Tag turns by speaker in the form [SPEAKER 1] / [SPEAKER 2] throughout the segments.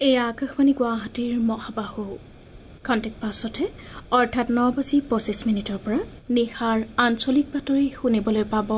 [SPEAKER 1] এয়া আকাশবাণী গুৱাহাটীৰ মহাবাহু। খন্তেক পাছতে অৰ্থাৎ ৯:২৫ পৰা নিশাৰ আঞ্চলিক বাতৰি শুনিবলৈ পাব।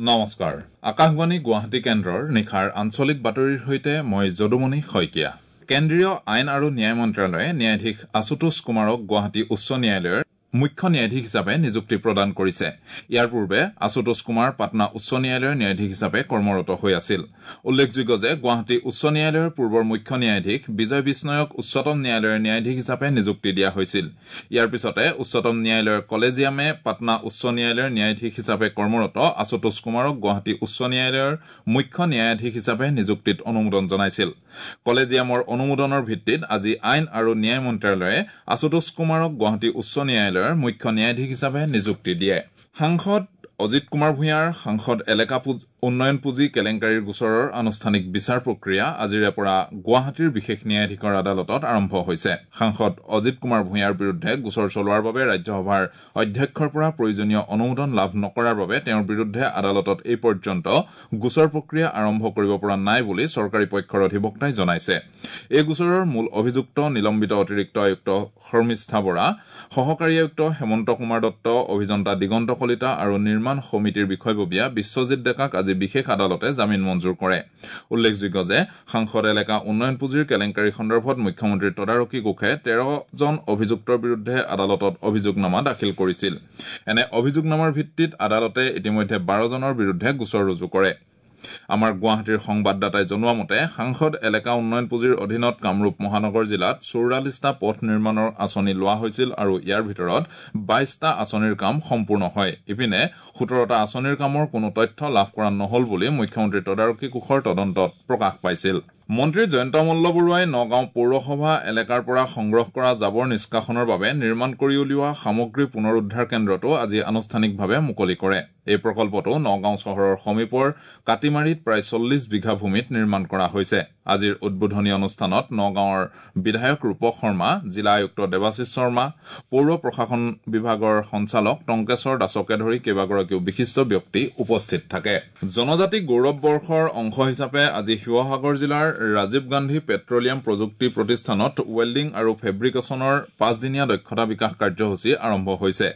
[SPEAKER 2] নমস্কাৰ, আকাশবাণী গুৱাহাটী কেন্দ্ৰৰ নিশাৰ আঞ্চলিক বাতৰিৰ সৈতে মই যদুমণি শইকীয়া। কেন্দ্ৰীয় আইন আৰু ন্যায় মন্ত্ৰালয়ে ন্যায়াধীশ আশুতোষ কুমাৰক গুৱাহাটী উচ্চ ন্যায়ালয়ৰ মুখ্য ন্যায়াধীশ হিচাপে নিযুক্তি প্ৰদান কৰিছে। ইয়াৰ পূৰ্বে আশুতোষ কুমাৰ পাটনা উচ্চ ন্যায়ালয়ৰ ন্যায়াধীশ হিচাপে কৰ্মৰত হৈ আছিল। উল্লেখযোগ্য যে গুৱাহাটী উচ্চ ন্যায়ালয়ৰ পূৰ্বৰ মুখ্য ন্যায়াধীশ বিজয় বিষ্ণয়ক উচ্চতম ন্যায়ালয়ৰ ন্যায়াধীশ হিচাপে নিযুক্তি দিয়া হৈছিল। ইয়াৰ পিছতে উচ্চতম ন্যায়ালয়ৰ কলেজিয়ামে পাটনা উচ্চ ন্যায়ালয়ৰ ন্যায়াধীশ হিচাপে কৰ্মৰত আশুতোষ কুমাৰক গুৱাহাটী উচ্চ ন্যায়ালয়ৰ মুখ্য ন্যায়াধীশ হিচাপে নিযুক্তিত অনুমোদন জনাইছিল। কলেজিয়ামৰ অনুমোদনৰ ভিত্তিত আজি আইন আৰু ন্যায় মন্ত্ৰালয়ে আশুতোষ কুমাৰক গুৱাহাটী উচ্চ ন্যায়ালয়ৰ মুখ্য ন্যায়াধীশ হিচাপে নিযুক্তি দিয়ে। সাংসদ অজিত কুমাৰ ভূঞাৰ সাংসদ এলেকা উন্নয়ন পুঁজি কেলেংকাৰীৰ গোচৰৰ আনুষ্ঠানিক বিচাৰ প্ৰক্ৰিয়া আজিৰে পৰা গুৱাহাটীৰ বিশেষ ন্যায়াধীশৰ আদালতত আৰম্ভ হৈছে। সাংসদ অজিত কুমাৰ ভূঞাৰ বিৰুদ্ধে গোচৰ চলোৱাৰ বাবে ৰাজ্যসভাৰ অধ্যক্ষৰ পৰা প্ৰয়োজনীয় অনুমোদন লাভ নকৰাৰ বাবে তেওঁৰ বিৰুদ্ধে আদালতত এই পৰ্যন্ত গোচৰ প্ৰক্ৰিয়া আৰম্ভ কৰিব পৰা নাই বুলি চৰকাৰী পক্ষৰ অধিবক্তাই জনাইছে। এই গোচৰৰ মূল অভিযুক্ত নিলম্বিত অতিৰিক্ত আয়ুক্ত শৰ্মিষ্ঠা বৰা, সহকাৰী আয়ুক্ত হেমন্ত কুমাৰ দত্ত, অভিযন্তা দিগন্ত কলিতা আৰু নিৰ্মাণ সমিতিৰ বিষয়ববীয়া বিশ্বজিৎ ডেকাক আজি বিশেষ আদালতে জামিন মঞ্জুৰ কৰে। উল্লেখযোগ্য যে সাংসদ এলেকা উন্নয়ন পুঁজিৰ কেলেংকাৰী সন্দৰ্ভত মুখ্যমন্ত্ৰীৰ তদাৰকী কোষে ১৩ জন অভিযুক্তৰ বিৰুদ্ধে আদালতত অভিযোগনামা দাখিল কৰিছিল। এনে অভিযোগনামাৰ ভিত্তিত আদালতে ইতিমধ্যে ১২ জনৰ বিৰুদ্ধে গোচৰ ৰুজু কৰে। আমাৰ গুৱাহাটীৰ সংবাদদাতাই জনোৱা মতে সাংসদ এলেকা উন্নয়ন পুঁজিৰ অধীনত কামৰূপ মহানগৰ জিলাত ৪৪টা পথ নিৰ্মাণৰ আঁচনি লোৱা হৈছিল আৰু ইয়াৰ ভিতৰত ২২টা আঁচনিৰ কাম সম্পূৰ্ণ হয়। ইপিনে ১৭টা আঁচনিৰ কামৰ কোনো তথ্য লাভ কৰা নহল বুলি মুখ্যমন্ত্ৰীৰ তদাৰকী কোষৰ তদন্তত প্ৰকাশ পাইছিল। মন্ত্ৰী জয়ন্ত মল্ল বৰুৱাই নগাঁও পৌৰসভা এলেকাৰ পৰা সংগ্ৰহ কৰা জাবৰ নিষ্কাশনৰ বাবে নিৰ্মাণ কৰি উলিওৱা সামগ্ৰী পুনৰুদ্ধাৰ কেন্দ্ৰটো আজি আনুষ্ঠানিকভাৱে মুকলি কৰে। এই প্ৰকল্পটো নগাঁও চহৰৰ সমীপৰ কাটিমাৰীত প্ৰায় ৪০ বিঘা ভূমিত নিৰ্মাণ কৰা হৈছে। আজিৰ উদ্বোধনী অনুষ্ঠানত নগাঁৱৰ বিধায়ক ৰূপক শৰ্মা, জিলা আয়ুক্ত দেৱাশীষ শৰ্মা, পৌৰ প্ৰশাসন বিভাগৰ সঞ্চালক টংকেশ্বৰ দাসকে ধৰি কেইবাগৰাকীও বিশিষ্ট ব্যক্তি উপস্থিত থাকে। জনজাতি গৌৰৱ বৰ্ষৰ অংশ হিচাপে আজি শিৱসাগৰ জিলাৰ ৰাজীৱ গান্ধী পেট্ৰলিয়াম প্ৰযুক্তি প্ৰতিষ্ঠানত ৱেল্ডিং আৰু ফেব্ৰিকেশ্যনৰ ৫দিনীয়া দক্ষতা বিকাশ কাৰ্যসূচী আৰম্ভ হৈছে।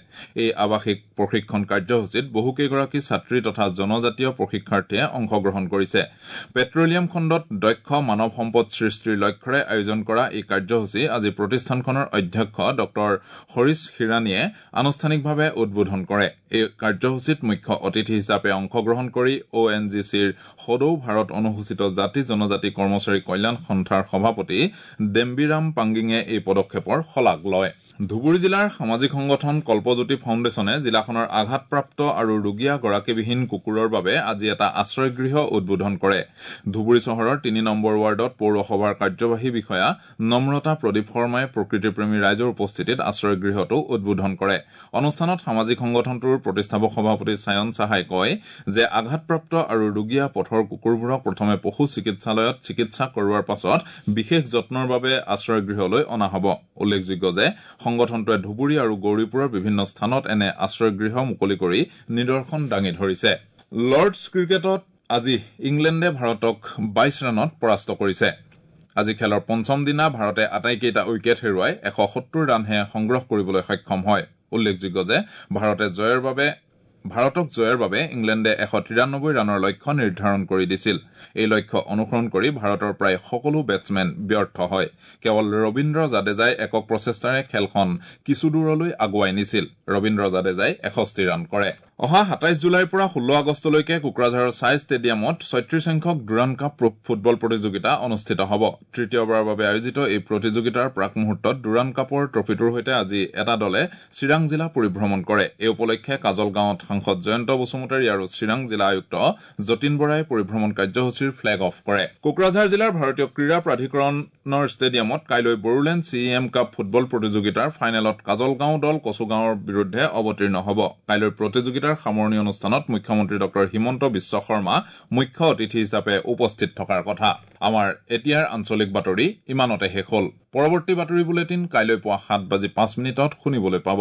[SPEAKER 2] এই আৱাসিক প্ৰশিক্ষণ কাৰ্যসূচীত বহুকেইগৰাকী ছাত্ৰী তথা জনজাতীয় প্ৰশিক্ষাৰ্থীয়ে অংশগ্ৰহণ কৰিছে। পেট্ৰলিয়াম খণ্ডত দক্ষ মানৱ সম্পদ সৃষ্টিৰ লক্ষ্যৰে আয়োজন কৰা এই কাৰ্যসূচী আজি প্ৰতিষ্ঠানখনৰ অধ্যক্ষ ডঃ হৰিশ হিৰাণীয়ে আনুষ্ঠানিকভাৱে উদ্বোধন কৰে। এই কাৰ্যসূচীত মুখ্য অতিথি হিচাপে অংশগ্ৰহণ কৰি অ এন জি চিৰ সদৌ ভাৰত অনুসূচিত জাতি জনজাতি কৰ্মচাৰী কল্যাণ সন্থাৰ সভাপতি ডেম্বিৰাম পাংগিঙে এই পদক্ষেপৰ শলাগ লয়। ধুবুৰী জিলাৰ সামাজিক সংগঠন কল্পজ্যোতি ফাউণ্ডেশ্যনে জিলাখনৰ আঘাতপ্ৰাপ্ত আৰু ৰুগীয়া গৰাকীবিহীন কুকুৰৰ বাবে আজি এটা আশ্ৰয়গৃহ উদ্বোধন কৰে। ধুবুৰী চহৰৰ ৩ নম্বৰ ৱাৰ্ডত পৌৰসভাৰ কাৰ্যবাহী বিষয়া নম্ৰতা প্ৰদীপ শৰ্মাই প্ৰকৃতিপ্ৰেমী ৰাইজৰ উপস্থিতিত আশ্ৰয়গৃহটো উদ্বোধন কৰে। অনুষ্ঠানত সামাজিক সংগঠনটোৰ প্ৰতিষ্ঠাপক সভাপতি চায়ন সাহাই কয় যে আঘাতপ্ৰাপ্ত আৰু ৰুগীয়া পথৰ কুকুৰবোৰক প্ৰথমে পশু চিকিৎসালয়ত চিকিৎসা কৰোৱাৰ পাছত বিশেষ যত্নৰ বাবে আশ্ৰয়গৃহলৈ অনা হ'ব। উল্লেখযোগ্য যে সংগঠনটোৱে ধুবুৰী আৰু গৌৰীপুৰৰ বিভিন্ন স্থানত এনে আশ্ৰয়গৃহ মুকলি কৰি নিদৰ্শন দাঙি ধৰিছে। লৰ্ডছ ক্ৰিকেটত আজি ইংলেণ্ডে ভাৰতক ২২ ৰানত পৰাস্ত কৰিছে। আজি খেলৰ পঞ্চম দিনা ভাৰতে আটাইকেইটা উইকেট হেৰুৱাই ১৭০ ৰানহে সংগ্ৰহ কৰিবলৈ সক্ষম হয়। উল্লেখযোগ্য যে ভাৰতক জয়ৰ বাবে ইংলেণ্ডে ১৯৩ ৰানৰ লক্ষ্য নিৰ্ধাৰণ কৰি দিছিল। এই লক্ষ্য অনুসৰণ কৰি ভাৰতৰ প্ৰায় সকলো বেটছমেন ব্যৰ্থ হয়। কেৱল ৰবীন্দ্ৰ জাদেজাই একক প্ৰচেষ্টাৰে খেলখন কিছু দূৰলৈ আগুৱাই নিছিল। ৰবীন্দ্ৰ জাদেজাই ৬১ ৰান কৰে। অহা ২৭ জুলাইৰ পৰা ১৬ আগষ্টলৈকে কোকৰাঝাৰৰ ছাই ষ্টেডিয়ামত ৩৬ সংখ্যক ডুৰাণ্ড কাপ ফুটবল প্ৰতিযোগিতা অনুষ্ঠিত হ'ব। তৃতীয়বাৰৰ বাবে আয়োজিত এই প্ৰতিযোগিতাৰ প্ৰাক মুহূৰ্তত ডুৰাণ্ড কাপৰ ট্ৰফিটোৰ সৈতে আজি এটা দলে চিৰাং জিলা পৰিভ্ৰমণ কৰে। এই উপলক্ষে কাজলগাঁৱত সাংসদ জয়ন্ত বসুমতাৰী আৰু চিৰাং জিলা আয়ুক্ত যতীন বৰাই পৰিভ্ৰমণ কাৰ্যসূচীৰ ফ্লেগ অফ কৰে। কোকৰাঝাৰ জিলাৰ ভাৰতীয় ক্ৰীড়া প্ৰাধিকৰণৰ ষ্টেডিয়ামত কাইলৈ Bodoland C M cup football প্ৰতিযোগিতাৰ ফাইনেলত কাজলগাঁও দল কচুগাঁৱৰ বিৰুদ্ধে অৱতীৰ্ণ হ'ব। কাইলৈ প্ৰতিযোগিতাৰ সামৰণি অনুষ্ঠানত মুখ্যমন্ত্ৰী ডঃ হিমন্ত বিশ্ব শৰ্মা মুখ্য অতিথি হিচাপে উপস্থিত থকাৰ কথা। আমাৰ এতিয়াৰ আঞ্চলিক বাতৰি ইমানতে শেষ হ'ল। পৰৱৰ্তী বাতৰি বুলেটিন কাইলৈ পুৱা ৭:০৫ শুনিবলৈ পাব।